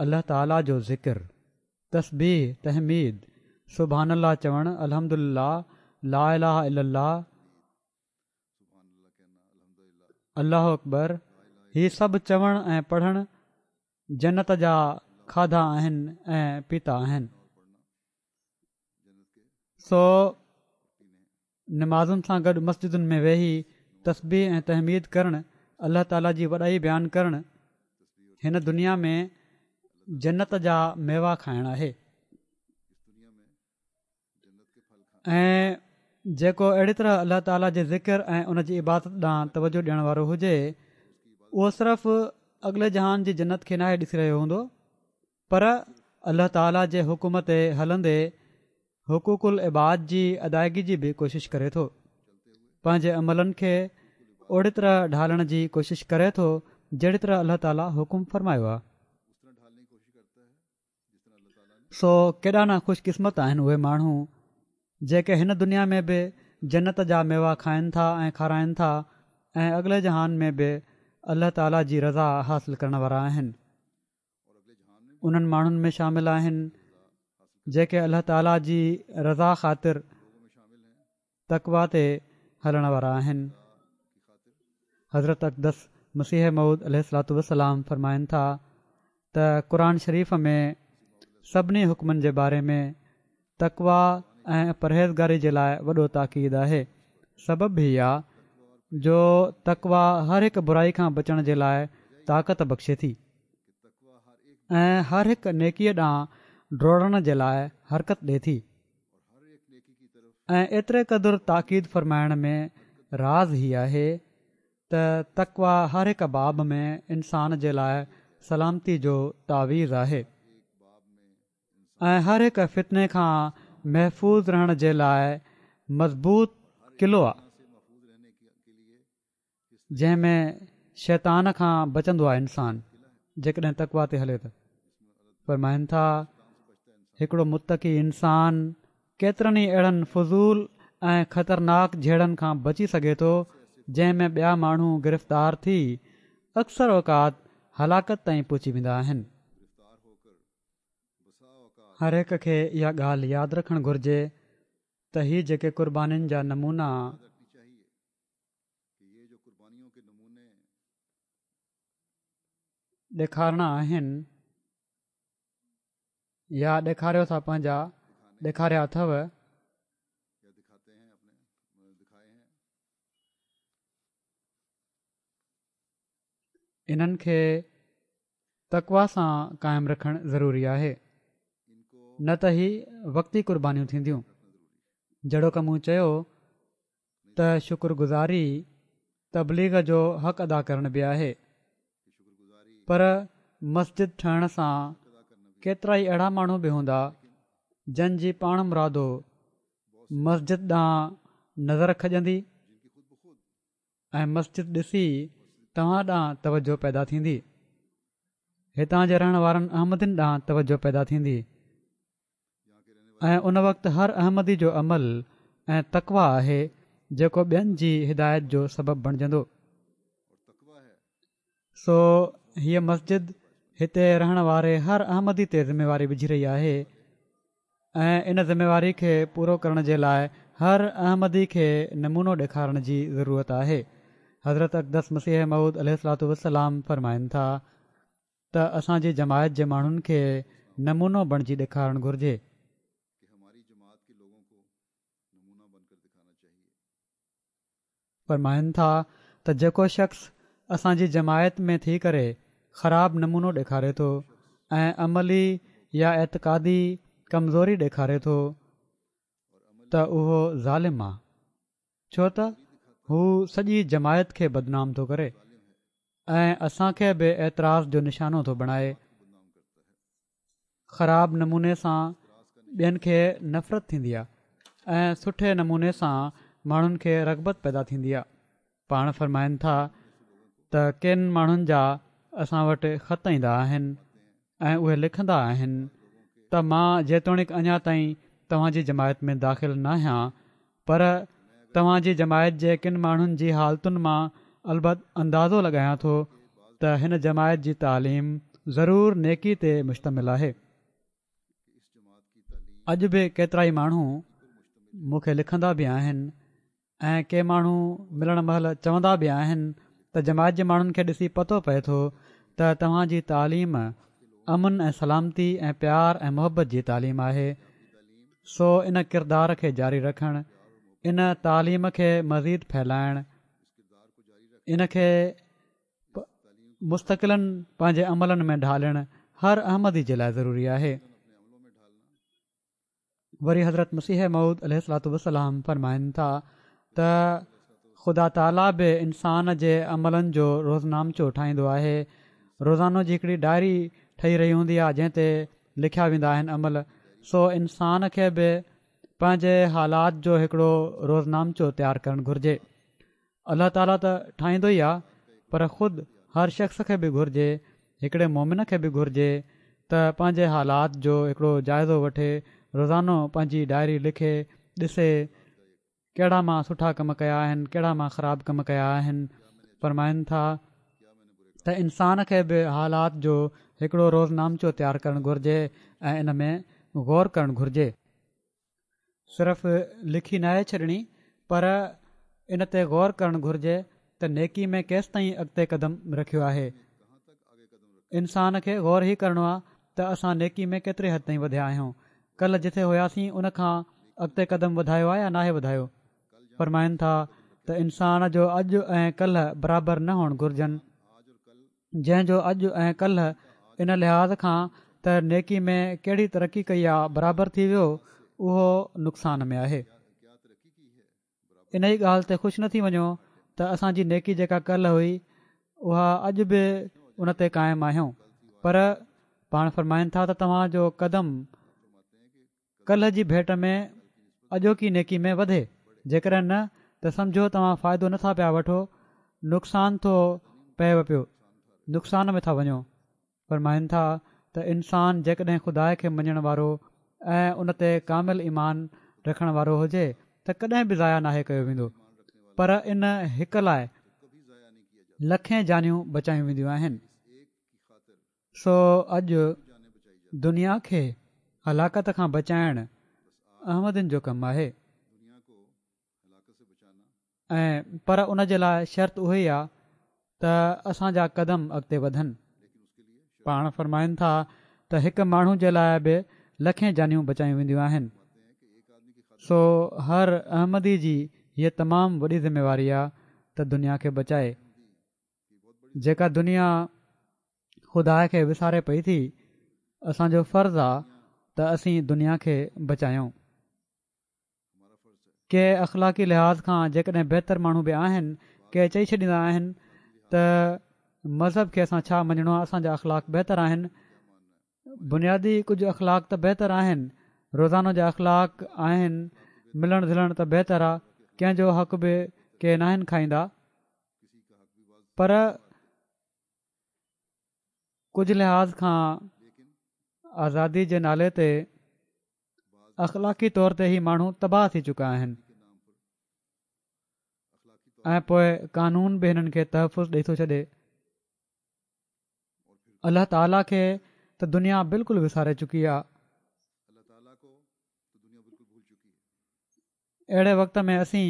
Speaker 2: الله تعاليٰ جو ذڪر، تسبيح، تحميد، سبحان الله چوڻ، الحمدلله، لا اله الا الله، الله اڪبر، هي سڀ چوڻ ۽ پڙهڻ جنت جا کاڌا آهن ۽ پيتا آهن. سو نمازن سان گڏ مسجدن ۾ ويهي تسبيح ۽ تحميد ڪرڻ، الله تعاليٰ جي وڏائي بيان ڪرڻ هن دنيا ۾ جنت جا ميوا کائڻ آهي. ۽ جيڪو اهڙي طرح الله تعاليٰ جي ذڪر ۽ ان جي عبادت ڏانهن توجه ڏيڻ وارو هجي اهو صرف اڳلي جهان جي جنت کي ناهي ڏسي رهيو هوندو پر الله تعاليٰ جي حڪم تي هلندي حقوق العباد جي ادائگي جي به ڪوشش ڪري ٿو، پنهنجي عملن کي اوڙي طرح ڍالڻ جي ڪوشش ڪري ٿو جهڙي طرح الله تعاليٰ حڪم فرمايو آهي. سو ڪيڏا نه خوش قسمت آهن اهي ماڻهو جيڪي هن دنيا ۾ به جنت جا ميوا کائن ٿا ۽ کارائن ٿا ۽ اڳلي جهان ۾ به الله تعاليٰ جي رضا حاصل ڪرڻ وارا آهن. انهن ماڻهن ۾ شامل آهن جيڪي الله تعاليٰ جي رضا خاطر تقويٰ تي هلڻ وارا آهن. حضرت اقدس مسيح موعود عليه الصلوة والسلام فرمائن ٿا ته قرآن شريف ۾ سڀني حڪمن جي باري ۾ تقويٰ ۽ پرهيزگاري جي لاء وڏو تاڪيد آهي. سبب هي آ جو تقويٰ هر هڪ برائي کان بچڻ جي لاء طاقت بخشي ٿي ۽ هر هڪ نيڪيء ڏانهن ڊوڙڻ جي لاء حرڪت ڏي ٿي ۽ ايتري قدر تاڪيد فرمائڻ ۾ راز هي آهي ته تقويٰ هر هڪ باب ۾ انسان جي لاء سلامتي جو تعويذ آهي ۽ هر هڪ فتني کان محفوظ رهڻ جي لاء مضبوط قلعو آهي جنهن ۾ شيطان کان بچندو آهي انسان جيڪڏهن تقويٰ تي هلي ته. فرمائن ٿا هڪڙو متقي انسان ڪيترن ئي اهڙن فضول ۽ خطرناڪ جهيڙن کان بچي سگهي ٿو جنهن ۾ ٻيا ماڻهو گرفتار ٿي اڪثر اوقات هلاڪت تائين پهچي ويندا آهن. هر هڪ کي اها ڳالهه ياد رکڻ گهرجي ته هي جيڪي قربانين جا نمونا ڏيکارڻا آهن يا ڏيکاريو ٿا پنهنجا ڏيکاريا اٿو انهن کي تقويٰ سان قائم رکڻ ضروري آهي نه ته هي وقتي قربانيون ٿينديون. جهڙوڪ مون چيو ته شڪر گذاري تبليغ جو حق ادا ڪرڻ به آهي پر مسجد ٺهڻ سان ڪيترائي اهڙا ماڻهو به هوندا جن جي پاڻمرادو مسجد ڏانهن نظر کڄندي ۽ مسجد ڏسي توهان ڏانهن توجه پيدا ٿيندي، هتان جي رهڻ وارن احمدين ڏانهن توجه پيدا ٿيندي ۽ ان وقت هر احمدي جو عمل ۽ تقويٰ آهي جيڪو ٻين جي هدايت جو سبب بڻجندو. سو هيء مسجد هتي رهڻ واري هر احمدي تي ذميواري وجهي رهي آهي ۽ ان ذميواري کي پورو ڪرڻ جي لاء هر احمدي کي نمونو ڏيکارڻ جي ضرورت آهي. حضرت اقدس مسيح موعود عليه الصلوة والسلام فرمائن ٿا ته اسان جي جماعت جي ماڻهن کي نمونو بڻجي ڏيکارڻ گهرجي. فرمائن ٿا ته جيڪو شخص اسان جي جماعت ۾ ٿي ڪري خراب نمونو ڏيکاري ٿو ۽ عملي يا اعتقادي ڪمزوري ڏيکاري ٿو ته اهو ظالم آ ڇو ته هو سڄي جماعت کي بدنام ٿو ڪري ۽ اسان کي به اعتراض جو نشانو ٿو بڻائي. خراب نموني سان ٻين کي نفرت ٿيندي آهي ۽ سٺي نموني سان ماڻهن کي رغبت پيدا ٿيندي آهي. پاڻ فرمائن ٿا ته ڪن ماڻهن جا اسان وٽ خط ايندا آهن ۽ اهي لکندا آهن ته مان جيتوڻيڪ اڃا تائين توهان جي جماعت ۾ داخل ناهيان، پر توهان جي جماعت جي ڪن ماڻهن جي حالتن مان البت اندازو لڳايان ٿو ته هن جماعت جي تعليم ضرور نيڪي تي مشتمل آهي. اڄ به ڪيترائي ماڻهو مون کي لکندا به آهن ۽ ڪي ماڻهو ملڻ مهل چوندا به آهن ته جماعت جي ماڻهن کي ڏسي پتو پئي ٿو ته توهان جي تعليم امن ۽ سلامتي ۽ پيار ۽ محبت جي تعليم آهي. سو ان ڪردار کي جاري رکڻ، ان تعليم کي مزيد ڦهلائڻ، ان کي مستقلاً پنهنجي عملن ۾ ڍالڻ هر احمدي جي لاء ضروري آهي. وري حضرت مسيح موعود عليه الصلوة والسلام فرمائن ٿا ته خدا تعاليٰ به انسان جي عملن جو روزنامچو ٺاهيندو آهي. روزانو جي هڪڙي ڊائري ٺهي رهي هوندي آهي جنهن تي لکيا ويندا آهن عمل. سو انسان کي به پنهنجي حالات جو هڪڙو روزنامچو تيار ڪرڻ گهرجي. الله تعاليٰ ته ٺاهيندو ئي آهي پر خود هر شخص کي به گهرجي، هڪڙي مومن کي به گهرجي ته پنهنجي حالات جو هڪڙو جائزو وٺي، روزانو پنهنجي ڊائري لکي، ڏسي ڪهڙا مان سٺا ڪم ڪيا آهن، ڪهڙا مان خراب ڪم ڪيا آهن. فرمائن ٿا ته انسان کي به حالات جو هڪڙو روزنامچو تيار ڪرڻ گهرجي ۽ ان ۾ غور ڪرڻ گهرجي. صرف لکي ناهي ڇڏڻي پر ان تي غور ڪرڻ گهرجي ته نيڪي ۾ ڪيستائين اڳتي قدم رکيو آهي. انسان کي غور هي ڪرڻو آهي ته اسان نيڪي ۾ ڪيتري حد تائين وڌيا آهيون، ڪلهه جٿي هياسين ان کان اڳتي قدم وڌايو آهي يا ناهي وڌايو. فرمائن ٿا ته انسان جو اڄ ۽ ڪلهه برابر نه هئڻ گهرجن، جنهن جو اڄ ۽ ڪلهه ان لحاظ کان ته نيڪي ۾ ڪهڙي ترقي ڪئي آ برابر ٿي ويو اهو نقصان ۾ آهي. انهي ڳالهه تي خوش نه ٿي وڃو ته اسان جي نيڪي جيڪا ڪلهه هئي اها اڄ به ان تي قائم آهيون، پر پاڻ فرمائن ٿا ته توهان جو قدم ڪلهه جي ڀيٽ ۾ اڄوڪي نيڪي ۾ وڌي، جيڪڏهن نه ته سمجهو توهان فائدو نٿا پيا وٺو، نقصان ٿو پئيو پيو، نقصان ۾ ٿا وڃو. فرمائن ٿا ته انسان جيڪڏهن خدا کي مڃڻ وارو ۽ ان تي ڪامل ايمان رکڻ وارو هجي ته ڪڏهن به ضايع ناهي ڪيو ويندو، پر ان هڪ لاء لکين جانيون بچايون وينديون آهن. سو اڄ دنيا کي هلاڪت کان بچائڻ احمدين جو ڪم آهي ۽ پر ان جي لاء شرط اهو ئي آهي ته اسان جا قدم اڳتي وڌن. پاڻ فرمائن ٿا ته هڪ ماڻهو جي لاء به لکين جانيون بچايون وينديون آهن. سو هر احمدي جي هيء تمام وڏي ذميواري آهي ته دنيا کي بچائي. جيڪا دنيا خدا کي وساري پئي ٿي، اسان جو فرض آهي ته اسين دنيا کي بچايون. ڪي اخلاقي لحاظ کان جيڪڏهن بهتر ماڻهو به آهن، ڪي چئي ڇڏيندا آهن ته مذهب کي اسان ڇا مڃڻو آهي، اسان جا اخلاق بهتر آهن. بنيادي ڪجهه اخلاق ته بهتر آهن، روزانو جا اخلاق آهن، ملڻ جلڻ ته بهتر آهي، ڪنهن جو حق به ڪي ناهن کائيندا، پر ڪجهه لحاظ کان آزادي جي نالي تي اخلاقي طور تي هي ماڻهو تباهه ٿي چڪا آهن ۽ پوء قانون به هنن کي تحفظ ڏئي ٿو ڇڏي. الله تعاليٰ کي ته دنيا بلڪل وساري چڪي آهي. اهڙي وقت ۾ اسين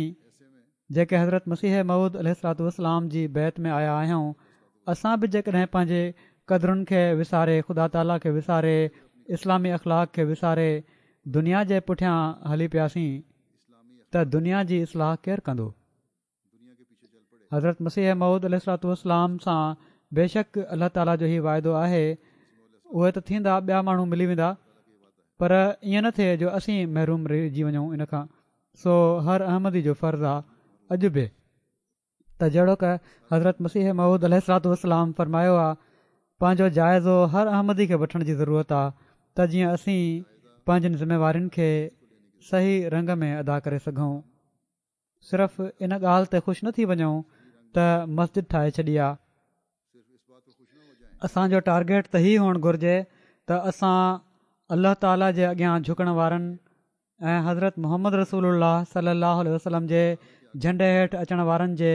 Speaker 2: جيڪي حضرت مسيح موعود عليه الصلوة والسلام جي بيعت ۾ آيا آهيون، اسان به جيڪڏهن پنهنجي قدرن کي وساري، خدا تعاليٰ کي وساري، اسلامي اخلاق کي وساري دنيا جي پٺيان هلي پياسين ته دنيا جي اصلاح ڪير ڪندو؟ حضرت مسيح موعود عليه الصلوة والسلام سان بيشڪ الله تعاليٰ جو هي واعدو آهي، اهي ته ٿيندا ٻيا ماڻهو ملي ويندا پر ائين نه ٿئي جو اسين محروم رهجي وڃون ان کان. سو هر احمدي جو فرض آ اڄ به ته جهڙوڪ حضرت مسيح موعود عليه الصلوة والسلام فرمايو آ پنهنجو جائزو هر احمدي کي وٺڻ جي ضرورت آ ته جيئن اسين پنهنجين ذميوارين کي صحيح رنگ ۾ ادا ڪري سگهون. صرف ان ڳالهه تي خوش نه ٿي وڃون ته مسجد ٺاهي ڇڏي آ. اسان جو ٽارگيٽ ته هي هئڻ گهرجي ته اسان الله تعاليٰ جي اڳيان جهڪڻ وارن ۽ حضرت محمد رسول الله صلي الله عليه وسلم جي جهنڊي هيٺ اچڻ وارن جي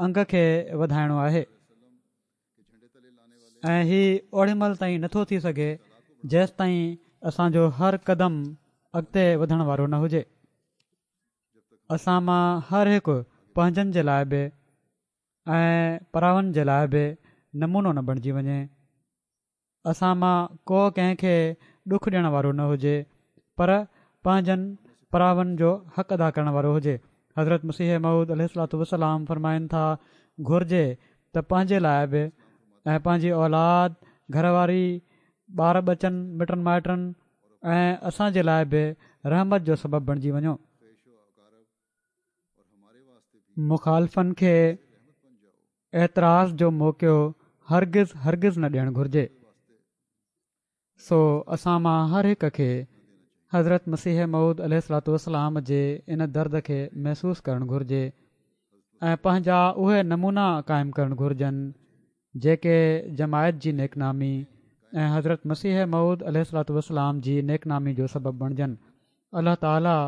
Speaker 2: انگ کي وڌائڻو آهي ۽ هي اوڏي مهل تائين نٿو ٿي سگهي جيستائين اسان جو هر قدم اڳتي وڌڻ وارو نه هجي. اسان مان هر هڪ پنهنجن جي لاءِ به ۽ پراون جي لاءِ به نمونو نه بڻجي وڃي. اسان مان ڪو ڪنهن کي ڏک ڏيڻ وارو نه هجي پر پنهنجن پراون جو حق ادا ڪرڻ وارو هجي. حضرت مسيح موعود عليه الصلوة والسلام فرمائن ٿا، گهرجي ته پنهنجي لاءِ به ۽ پنهنجي اولاد، گهر واري، ٻار ٻچن، مٽن مائٽن ۽ اسان جي لاءِ به رحمت جو سبب بڻجي وڃو. مخالفن کي اعتراض جو موقعو هرگز هرگز نه ڏيڻ گهرجي. سو اسان مان هر هڪ کي حضرت مسيح موعود عليه الصلوة والسلام جي ان درد کي محسوس ڪرڻ گهرجي ۽ پنهنجا اهي نمونا قائم ڪرڻ گهرجن جيڪي جماعت جي نيڪنامي ۽ حضرت مسيح موعود عليه الصلوة والسلام جي نيڪنامي جو سبب بڻجن. الله تعاليٰ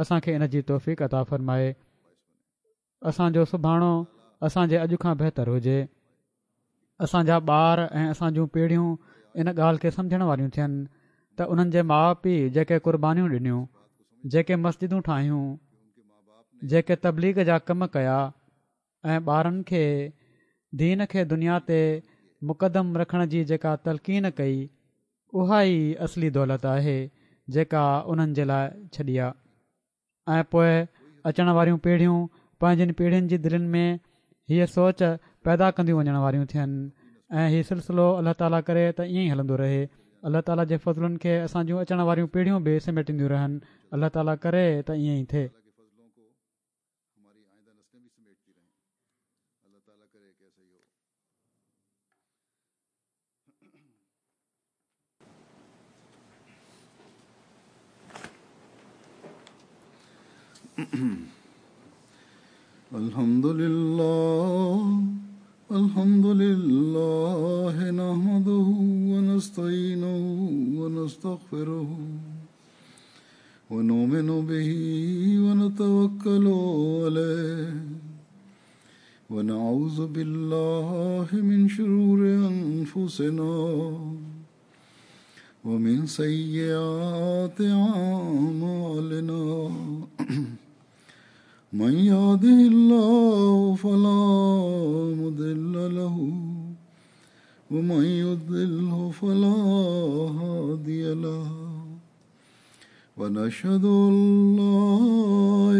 Speaker 2: اسان کي ان جي توفيق عطا فرمائي. اسان جو سڀاڻو اسان جي اڄ کان بهتر هجي. اسان جا ٻار ۽ اسان جون پيڙهيون ان ڳالهه کي سمجهڻ واريون ٿين ته انهن جي ماءُ پيءُ جيڪي قربانيون ڏنيون، جيڪي مسجدون ٺاهيون، جيڪي تبليغ جا ڪم ڪيا ۽ ٻارن کي دين کي دنيا تي مقدم رکڻ جي جيڪا تلقين ڪئي، اها ئي اصلي دولت آهي جيڪا انهن جي لاءِ ڇڏي آ. ۽ پوءِ اچڻ واريون پيڙهيون پنهنجين پيڙهين جي دلين ۾ هيءَ سوچ پيدا ڪنديون وڃڻ واريون ٿين ۽ هي سلسلو الله تعاليٰ ڪري ته ائين ئي هلندو رهي. الله تعاليٰ جي فضلن کي اسان جون اچڻ واريون پيڙهيون به سميٽينديون رهن. الله تعاليٰ ڪري ته ائين ئي ٿئي.
Speaker 1: الحمد لله الحمد لله نحمده ونستعينه ونستغفره ونؤمن به ونتوكل عليه ونعوذ بالله من شرور أنفسنا ومن سيئات أعمالنا من يهده الله فلا مضل له ومن يضلله فلا هادي له ونشهد أن لا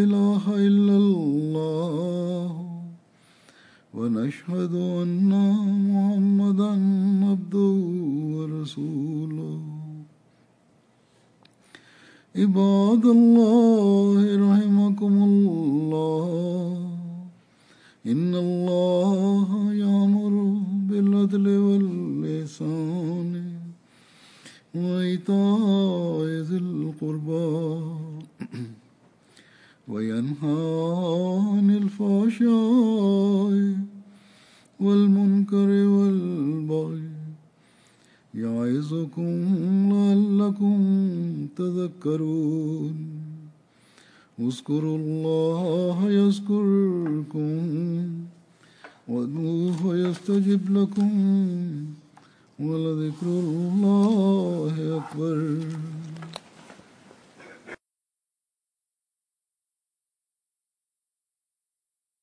Speaker 1: إله إلا الله ونشهد أن محمدا عبده ورسوله. عباد الله رحمكم الله، إن الله يأمر بالعدل والإحسان وإيتاء ذي القربى وينهى عن الفحشاء والمنكر والبغي يعظكم لعلكم تذكرون. اذكروا الله يذكركم وادعوه يستجب لكم ولذكر الله أكبر.